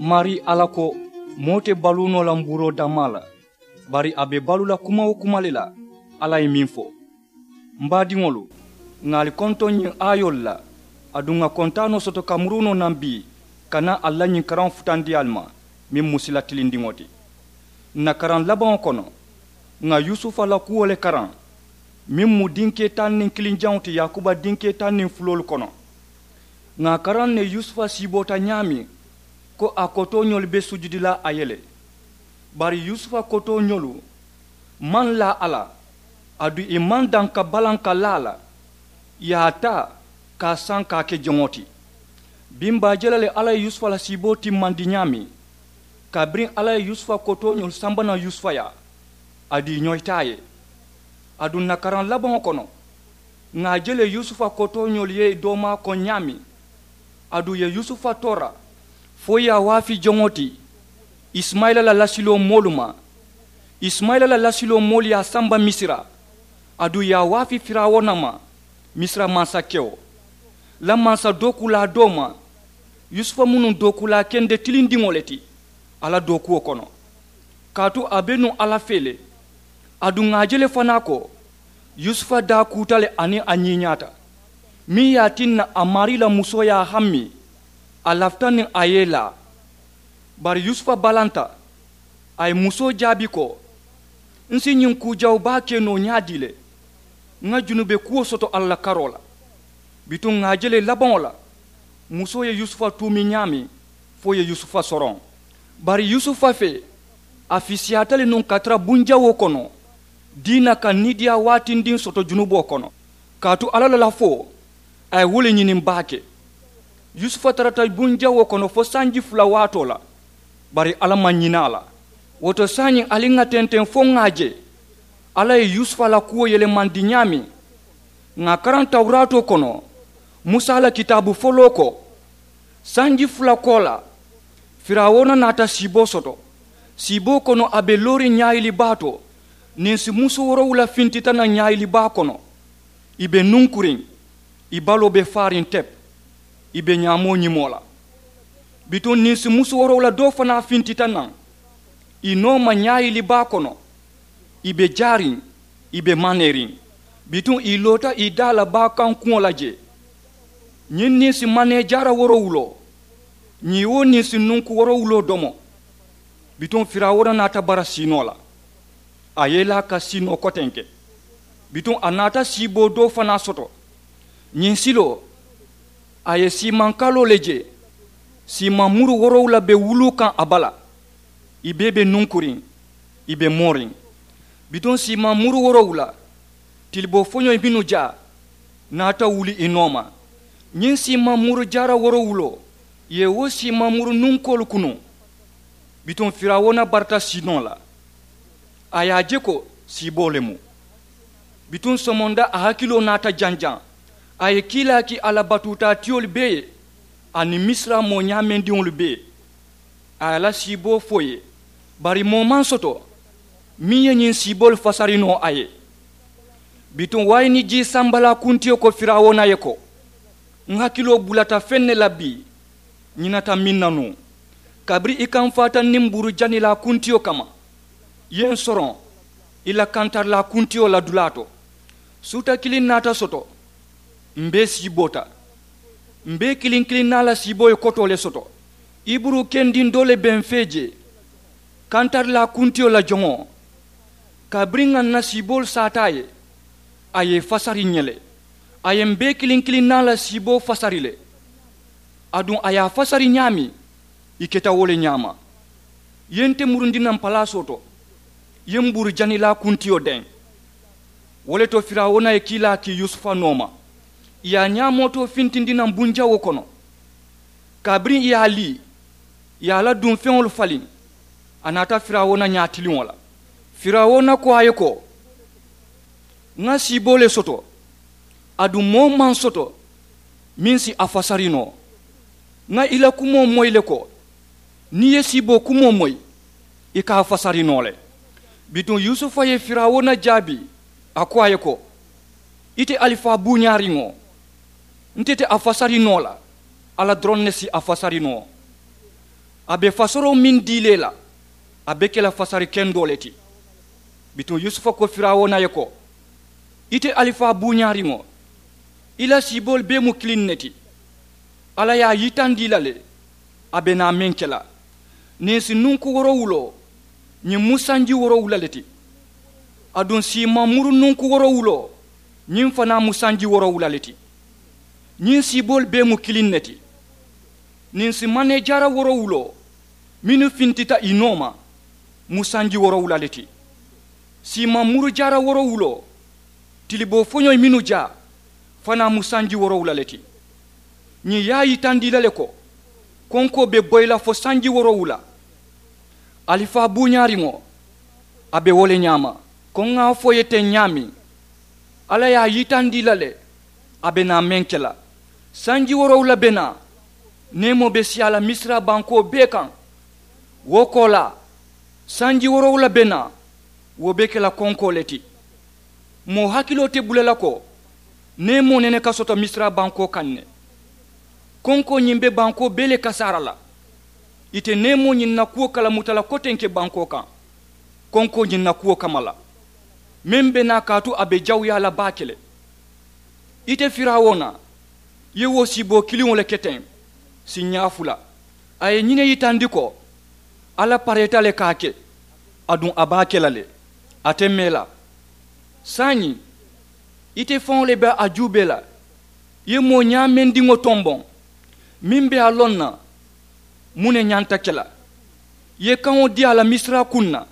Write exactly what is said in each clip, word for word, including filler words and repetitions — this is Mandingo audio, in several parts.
Maarii alla ko, moo te baluu noo la mbuuroo dammaa la, bari a be baluu la kuma-wo-kuma le la. Alla ye meŋ fo, m baadiŋolu, ŋà ali kontoŋ ñiŋ aayoolu la. Aduŋ ŋà kontaanoo soto ka murunoo naŋ bii, ka naa ali la ñiŋ karaŋo futandi ali ma, meŋ mu sila tilindiŋo ti. Ǹ na karaŋ labaŋo kono, ŋà yusufa la kuwo le karaŋ, meŋ mu dinkee taŋ niŋ kiliŋ jaŋo ti yaakuba dinkee taŋ niŋ fuloolu kono. Ŋà a karaŋ ne yusufa siiboota ñaameŋ, ko a kotooñolu be sujudi la a ye le. Bari yusufa kotooñolu maŋ laa a la, aduŋ ì maŋ daŋ ka balaŋ ka laa a la. Ì ye a taa ka a saŋ ka a ke joŋo ti. Biŋ baa je la le alla ye yusufa la siiboo timmandi ñaameŋ, kabiriŋ alla ye yusufa kotooñolu samba naŋ yusufa yaa, aduŋ ì ñoyita a ye. Aduŋ ǹ na karaŋ labaŋo kono, ŋà a je le yusufa kotooñolu ye ì doomaa koŋ ñaameŋ. Aduŋ ì ye yusufa toora, fo ì ye a waafi joŋo ti, isimayila la lasiloo moolu ma. Isimayila la lasiloo moolu ye a samba misira, aduŋ ì ye a waafi firawuna ma, misira mansakewo la mansa dookuulaa doo ma. Yusufa mu nuŋ dookuulaa kende tilindiŋo le ti a la dookuwo kono, kaatu a be nuŋ alla fee le. Aduŋ ŋà a je le fanaa ko, yusufa daa kuuta le aniŋ a ñiiñaata, meŋ ye a tinna a maarii la musoo ye a hammi, a lafita niŋ a ye ì laa. Bari yusufa balanta, a ye musoo jaabi ko, n si ñiŋ kuu jawu baa ke noo ñaadii le? Ŋà junube kuwo soto alla la karoo la. Bituŋ ŋà a je le labaŋo la, musoo ye yusufa tuumi ñaameŋ, fo ì ye yusufa soroŋ. Bari yusufa fee, a fisiyaata le nuŋ ka tara bunjawoo kono, diina ka niidiyaa waatindiŋ soto junuboo kono. Kaatu alla la lafoo, a ye wo le ñiniŋ baake. Yusufa tarata bunjawoo kono fo sanji fula waatoo la, bari alla maŋ ñina a la. Wo to saayiŋ ali ŋà tenteŋ fo ŋà a je alla ye yusufa la kuwo yelemandi ñaameŋ. Ŋà a karaŋ tawuraatoo kono, musa la kitaabu foloo ko, sanji fula koolaa, firawuna naata siiboo soto. Siiboo kono a be looriŋ ñaayili baa to, ninsi musu woorowula fintita naŋ ñaayili baa kono. Ì be nunkuriŋ, ì baloo be faariŋ tep, ì be ñaamoo ñimoo la. Bituŋ ninsi musu woorowula doo fanaa fintita naŋ, ì nooma ñaayili baa kono. Ì be jaariŋ, ì be maneeriŋ. Bituŋ ì loota ì daa la baa kaŋ kuŋo la jee. Ñiŋ ninsi manee jaara woorowuloo, ñiŋ wo ninsi nunku woorowuloo domo. Bituŋ firawuna naata bara siinoo la, a ye ì laa ka siinoo kotenke. Bituŋ a naata siiboo doo fanaa soto. Ñiŋ siloo, a ye siimaŋ kaloo le je. Siimaŋ muru woorowula be wuluu kaŋ a bala. Ì bee be nunkuriŋ, ì be mooriŋ. Bituŋ siimaŋ muru woorowula, tiliboo foñoo mennu jaa, naata wuli ì nooma. Ñiŋ siimaŋ muru jaara woorowuloo, ì ye wo siimaŋ muru nunkoolu kunuŋ. Bituŋ firawuna barata siinoo la, a ye a je ko siiboo le mu. Bituŋ somonda a hakiloo naata janjaŋ. A ye kiilaa ki a la batuutaatiyolu bee ye, aniŋ misira moo ñaamendiŋolu bee. A ye a la siiboo fo ì ye, bari moo maŋ soto meŋ ye ñiŋ siiboolu fasari noo a ye. Bituŋ wayini jii sambalaa kuntiyo ko firawuna ye ko, n hakiloo bulata feŋ ne la bii, ñinata meŋ na nuŋ, kabiriŋ i kamfaata niŋ mbuuru janilaa kuntiyo kamma, i ye n soroŋ i la kantarilaa kuntiyo la dulaa to. Suuta kiliŋ naata soto, m bee siiboota. M bee kiliŋ kiliŋ naa la siiboo ye kotoo le soto. Iburu kendiŋ doo le be m fee jee, kantarilaa kuntiyo la joŋo. Kabiriŋ ŋà n na siiboolu saata a ye, a ye ì fasari ǹ ye le. A ye m bee kiliŋ kiliŋ naa la siiboo fasari le. Aduŋ a ye a fasari ñaameŋ, ì keta wo le ñaama. Ì ye nte murundi naŋ palaasoo to, ì ye mbuuru janilaa kuntiyo deŋ. Wo le to firawuna ye kiilaa kii yusufa nooma, ì ye a ñaamootoo fintindi naŋ bunjawoo kono. Kabiriŋ ì ye a lii, ì ye a la dunfeŋolu faliŋ, a naata firawuna ñaatiliŋo la. Firawuna ko a ye ko, ŋa siiboo le soto, aduŋ moo maŋ soto meŋ si a fasari noo. Ŋa i la kumoo moyi le ko, niŋ i ye siiboo kumoo moyi, i ka a fasari noo le. Bituŋ yusufa ye firawuna jaabi, a ko a ye ko, ite alifaa buuñaariŋo, nte te a fasari noo la, alla doroŋ ne si a fasari noo. A be fasoroo meŋ dii le la, a be ke la fasari kendoo le ti. Bituŋ yusufa ko firawuna ye ko, ite alifaa buuñaariŋo, i la siiboolu bee mu kiliŋ ne ti. Alla ye a yitandi i la le, a be naa meŋ ke la. Niŋ si nunku woorowuloo, ñiŋ mu sanji woorowula le ti. Aduŋ siimaŋ muru nunku woorowuloo, ñiŋ fanaa mu sanji woorowula le ti. Ñiŋ siiboolu bee mu kiliŋ ne ti. Niŋ si maneejaara woorowuloo, mennu fintita i nooma, mu sanji woorowula le ti. Siimaŋ muru jaara woorowuloo, tiliboo foñoyi mennu jaa, fanaa mu sanji woorowula le ti. Ñiŋ ye a yitandi i la le ko, konkoo be boyi la fo sanji woorowula. Alifaa buuñaariŋo, a be wo le ñaama. Ko ŋa a fo i ye teŋ ñaameŋ, alla ye a yitandi i la le, a be naa meŋ ke la. Sanji woorowula be naa, neemoo be siyaa la misira bankoo bee kaŋ. Wo koolaa, sanji woorowula be naa, wo be ke la konkoo le ti. Moo hakiloo te bula la ko, neemoo nene ka soto misira bankoo kaŋ ne. Konkoo ñiŋ be bankoo bee le kasaara la. Ite neemoo ñiŋ na kuwo kalamuta la kotenke bankoo kaŋ, konkoo ñiŋ na kuwo kamma la, meŋ be naa kaatu a be jawuyaa la baake le. Ite firawuna, i ye wo siiboo kiliŋo le ke teŋ, siiñaa fula. A ye ñiŋ ne yitandi ko, alla pareeta le ka a ke, aduŋ a be a ke la le, a te mee la. Saayiŋ, ite faŋo le be a juubee la, i ye moo ñaamendiŋo tomboŋ, meŋ be a loŋ na, muŋ ne ñanta ke la. I ye kaŋo dii a la misira kuŋ na,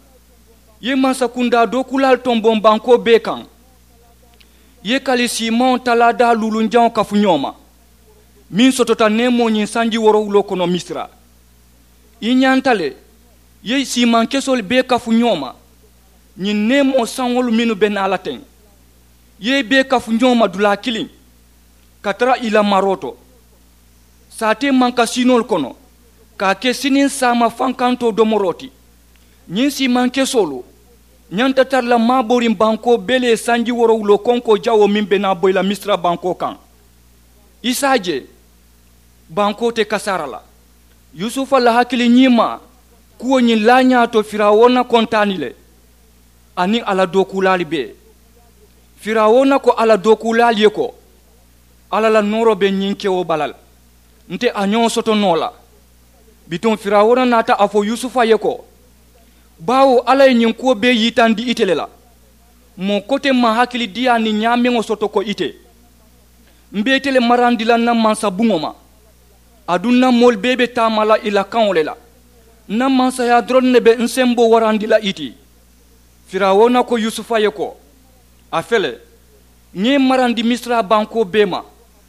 i ye mansakundaa dookuulaalu tomboŋ bankoo bee kaŋ. I ye kali siimaŋo talaadaa luulunjaŋo kafu ñoo ma, meŋ sotota neemoo ñiŋ sanji woorowuloo kono misira. I ñanta le, i ye siimaŋ kesoolu bee kafu ñoo ma, ñiŋ neemoo saŋolu mennu be naa la teŋ, i ye i bee kafu ñoo ma dulaa kiliŋ, ka tara i la maroo to. Saatee mankasiinoolu kono, ka a ke siniŋ saama fankantoo domoroo ti. Ñiŋ siimaŋ kesoolu ñanta tara la maabooriŋ bankoo bee le ye sanji woorowuloo konkoo jawoo meŋ be naa boyi la misira bankoo kaŋ. I si a je, bankoo te kasaara la. Yusufa la hakili ñiimaa kuwo ñiŋ laa ñaato firawuna kontaani le, aniŋ a la dookuulaalu bee. Firawuna ko a la dookuulaalu ye ko, alla la nooroo be ñiŋ kewo bala le, nte a ñoo soto noo la. Bituŋ firawuna naata a fo yusufa ye ko, baawo alla ye ñiŋ kuwo bee yitandi ite le la. Moo kote maŋ hakilidiyaa niŋ ñaameŋo soto ko ite. M̀ be ite le marandi la ǹ na mansa buŋo ma, aduŋ ǹ na moolu bee be taama la i la kaŋo le la. Ǹ na mansayaa doroŋ ne be ǹ semboo warandi la i ti. Firawuna ko yusufa ye ko, a fele, ŋa i marandi misira bankoo bee ma.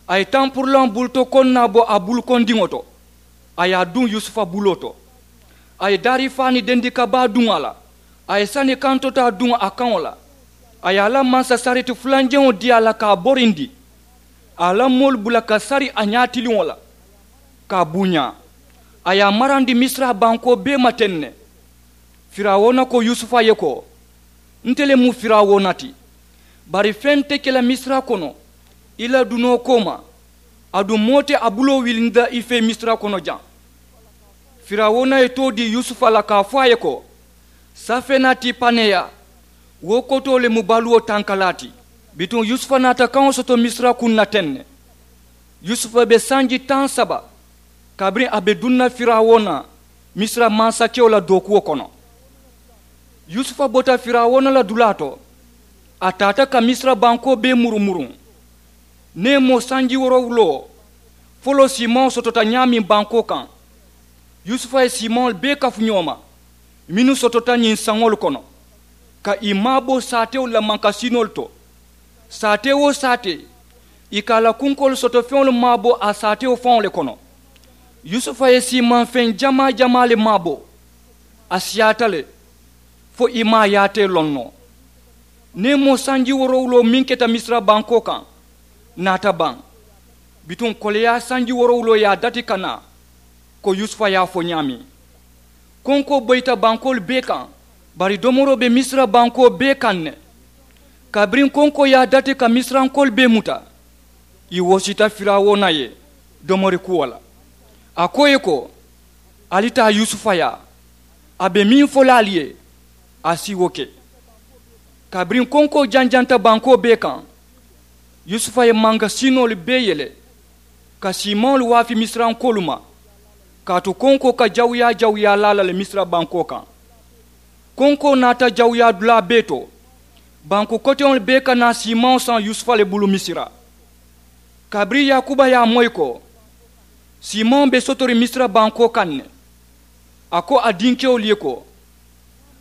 A ye tampurulaŋo buluto koŋ naa bo a bulukondiŋo to, a ye a duŋ yusufa buloo to. A ye daari faa niŋ dendi kabaa duŋ a la, a ye sani kantotaa duŋ a kaŋo la. A ye a la mansa sariti fulanjaŋo dii a la ka a borindi, a ye a la moolu bula ka sari a ñaatiliŋo la, ka a buuñaa. A ye a marandi misira bankoo bee ma teŋ ne. Firawuna ko yusufa ye ko, nte le mu firawuna ti, bari feŋ te ke la misira kono i la dunoo kooma, aduŋ moo te a buloo wilindi la i fee misira kono jaŋ. Firawuna ye too dii yusufa la ka a fo a ye ko, safenati paneya, wo kotoo le mu baluwo tankalaa ti. Bituŋ yusufa naata kaŋo soto misira kuŋ na teŋ ne. Yusufa be sanji taŋ saba kabiriŋ a be duŋ na firawuna, misira mansakewo la dookuwo kono. Yusufa bota firawuna la dulaa to, a taata ka misira bankoo bee murumuruŋ. Neemoo sanji woorowuloo foloo siimaŋo sotota ñaameŋ bankoo kaŋ, yusufa ye siimaŋolu bee kafu ñoo ma mennu sotota ñiŋ saŋolu kono, ka ì maabo saatewolu la mankasiinoolu to. Saatee-wo-saatee ì ka a la kunkoolu soto feŋolu maabo a saatewo faŋo le kono. Yusufa ye siimaŋ feŋ jamaa-jamaa le maabo. A siyaata le fo ì maŋ a yaatee loŋ noo. Neemoo sanji woorowuloo meŋ keta misira bankoo kaŋ naata baŋ. Bituŋ koleyaa sanji woorowuloo ye a dati ka naa, ko yusufa ye a fo ñaameŋ. Konkoo boyita bankoolu bee kaŋ, bari domoroo be misira bankoo bee kaŋ ne. Kabiriŋ konkoo ye a dati ka misirankoolu bee muta, ì woosita firawuna ye domori kuwo la. A ko ì ye ko, Ali taa yusufa yaa, a be meŋ fo la ali ye, a si wo ke. Kabiriŋ konkoo janjanta bankoo bee kaŋ, yusufa ye mankasiinoolu bee yele ka siimaŋolu waafi misirankoolu ma, kaatu konkoo ka jawuyaa jawuyaa laa la le misira bankoo kaŋ. Konkoo naata jawuyaa dulaa bee to. Banku koteŋolu bee ka naa siimaŋo saŋ yusufa le bulu misira. Kabiriŋ yaakuba ye a moyi ko siimaŋo be sotoriŋ misira bankoo kaŋ ne, a ko a dinkewolu ye ko,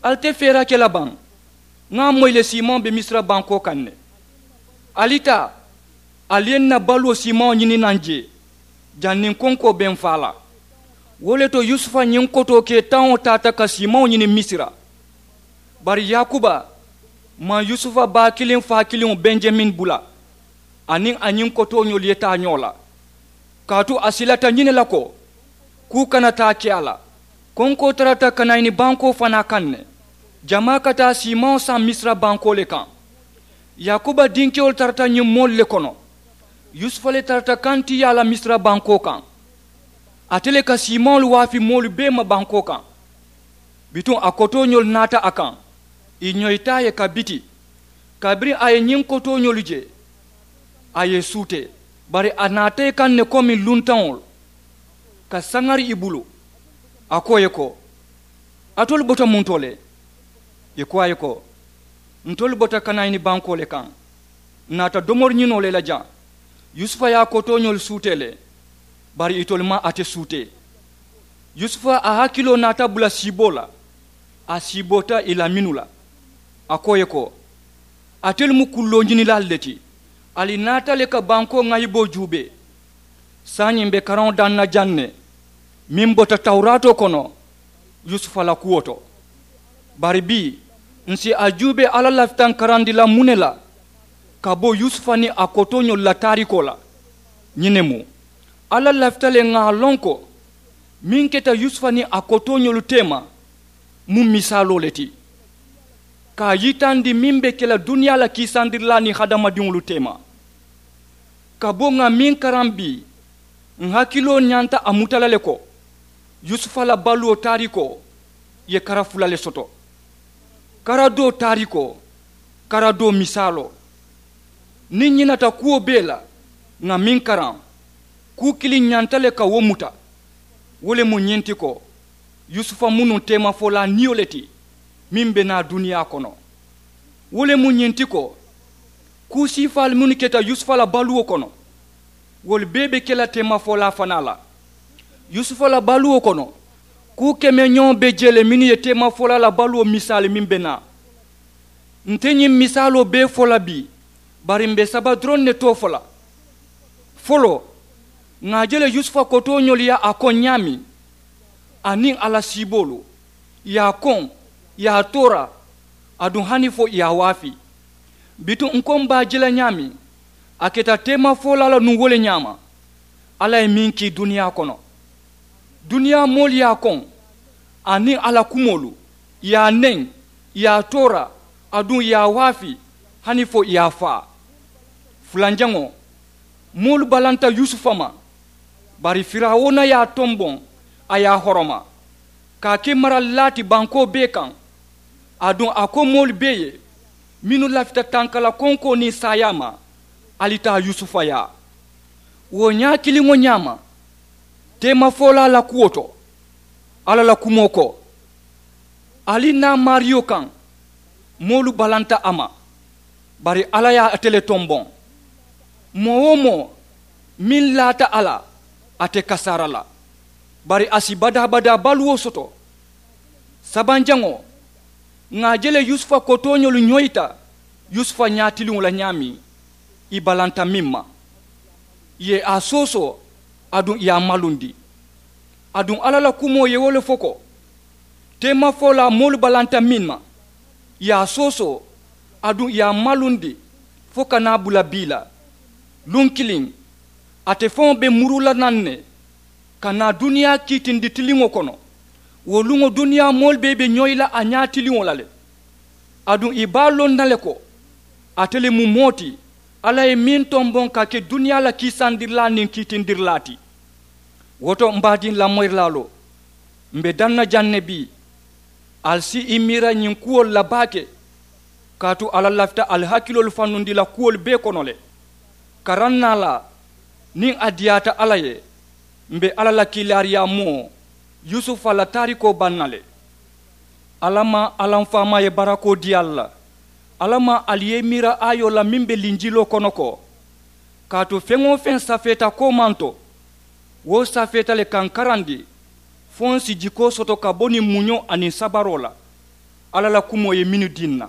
ali te feera ke la baŋ? Ŋa a moyi le siimaŋo be misira bankoo kaŋ ne. Ali taa, ali ye n na baluwo siimaŋo ñini naŋ jee, janniŋ konkoo be n faa la. Wo le to yusufa ñiŋ kotoo kee taŋo taata ka siimaŋo ñini misira. Bari yaakuba maŋ yusufa baa kiliŋ faa kiliŋo benjamin bula, aniŋ a ñiŋ kotooñolu ye taa ñoo la. Kaatu a silata ñiŋ ne la ko kuu kana taa ke a la. Konkoo tarata kanayini bankoo fanaa kaŋ ne, jamaa ka taa siimaŋo saŋ misira bankoo le kaŋ. Yaakuba dinkewolu tarata ñiŋ moolu le kono. Yusufa le tarata kantiyaa la misira bankoo kaŋ. Ate le ka siimaŋolu waafi moolu bee ma bankoo kaŋ. Bituŋ a kotooñolu naata a kaŋ, ì ñoyita a ye ka biti. Kabiriŋ a ye ñiŋ kotooñolu je, a ye ì suutee. Bari a naata ì kaŋ ne komi luntaŋolu ka saŋari ì bulu. A ko ì ye ko, alitolu bota muŋ to le? Ì ko a ye ko, ntolu bota kanayini bankoo le kaŋ, n naata domori ñinoo le la jaŋ. Yusufa ye a kotooñolu suutee le, bari itolu maŋ ate suutee. Yusufa a hakiloo naata bula siiboo la. A siiboota ì la mennu la, a ko ì ye ko, alitelu mu kulloo ñinilaalu le ti. Ali naata le ka bankoo ŋayiboo juubee. Saayiŋ m̀ be karaŋo daŋ na jaŋ ne, meŋ bota tawuraatoo kono yusufa la kuwo to. Bari bii, ǹ si a juubee alla lafita ǹ karandi la muŋ ne la ka bo yusufa niŋ a kotooñolu la taarikoo la. Ñiŋ ne mu, alla lafita le ŋà a loŋ ko meŋ keta yusufa niŋ a kotooñolu teema mu misaaloo le ti, ka a yitandi meŋ be ke la duniyaa la kiisandirilaa niŋ hadamadiŋolu teema. Ka bo ŋà meŋ karaŋ bii, ǹ hakiloo ñanta a muta la le ko yusufa la baluwo taarikoo ye kara fula le soto. Kara doo taarikoo, kara doo misaaloo. Niŋ ñinata kuwo bee la, ŋà meŋ karaŋ, kuu kiliŋ ñanta le ka wo muta. Wo le mu ñiŋ ti ko yusufa mu nuŋ teemafolaa niyo le ti meŋ be naa duniyaa kono. Wo le mu ñiŋ ti ko kuu siifaalu mennu keta yusufa la baluwo kono, wolu bee be ke la teemafolaa fanaa la. Yusufa la baluwo kono, kuu kemeñoŋo be jee le mennu ye teemafolaa la baluwo misaali meŋ be naa. Nte ñiŋ misaaloo bee fo la bii, bari m̀ be saba doroŋ ne too fo la. Foloo, ŋà a je le yusufa kotooñolu ye a koŋ ñaameŋ, aniŋ a la siiboolu, ì ye a koŋ, ì ye a toora, aduŋ hani fo ì ye a waafi. Bituŋ ǹ ko m̀ be a je la ñaameŋ, a keta teemafolaa la nuŋ wo le ñaama. Alla ye meŋ kii duniyaa kono, duniyaa moolu ye a koŋ, aniŋ a la kumoolu, ì ye a neŋ, ì ye a toora, aduŋ ì ye a waafi, hani fo ì ye a faa. Fulanjaŋo, moolu balanta yusufa ma, bari firawuna ye a tomboŋ, a ye a horoma, ka a ke maralilaa ti bankoo bee kaŋ. Aduŋ a ko moolu bee ye mennu lafita tankala konkoo niŋ saayaa ma, ali taa yusufa yaa. Wo ñaa kiliŋo ñaama, teemafolaa la kuwo to, alla la kumoo ko, ali naa maariyo kaŋ, moolu balanta a ma, bari alla ye ate le tomboŋ. Moo-wo-moo meŋ laata a la, ate kasaara la, bari a si badaa-badaa baluwo soto. Sabanjaŋo, ŋà a je le yusufa kotooñolu ñoyita yusufa ñaatiliŋo la ñaameŋ, ì balanta meŋ ma, ì ye a soosoo, aduŋ ì ye a malundi. Aduŋ alla la kumoo ye wo le fo ko, teemafolaa moolu balanta meŋ ma, ì ye a soosoo, aduŋ ì ye a malundi, fo ka naa bula bii la. Luŋ kiliŋ, ate faŋo be muru la naŋ ne, ka naa duniyaa kiitindi tiliŋo kono. Wo luŋo duniyaa moolu bee be ñoyi la a ñaatiliŋo la le. Aduŋ ì be a loŋ na le ko, ate le mu moo ti alla ye meŋ tomboŋ ka ke duniyaa la kiisandirilaa niŋ kiitindirilaa ti. Wo to m̀ be a diŋ lamoyirilaaloo, M be daŋ na jaŋ ne bii. Ali si i miira ñiŋ kuwolu la baake. Kaatu alla lafita ali hakiloolu fannundi la kuwolu bee kono le. Karaŋ naa la niŋ a diyaata alla ye, m be alla la kiilaariyaa moo yusufa la taarikoo baŋ na le. Alla maŋ alla m faamaa ye barakoo dii ali la. Alla maŋ ali ye i miira aayoo la meŋ be linjiloo kono ko, kaatu feŋ-wo-feŋ safeeta koomaŋ to, wo safeeta le kaŋ karandi fo n si jikoo soto ka bo niŋ muñoo aniŋ sabaroo la. Alla la kumoo ye mennu dii n na.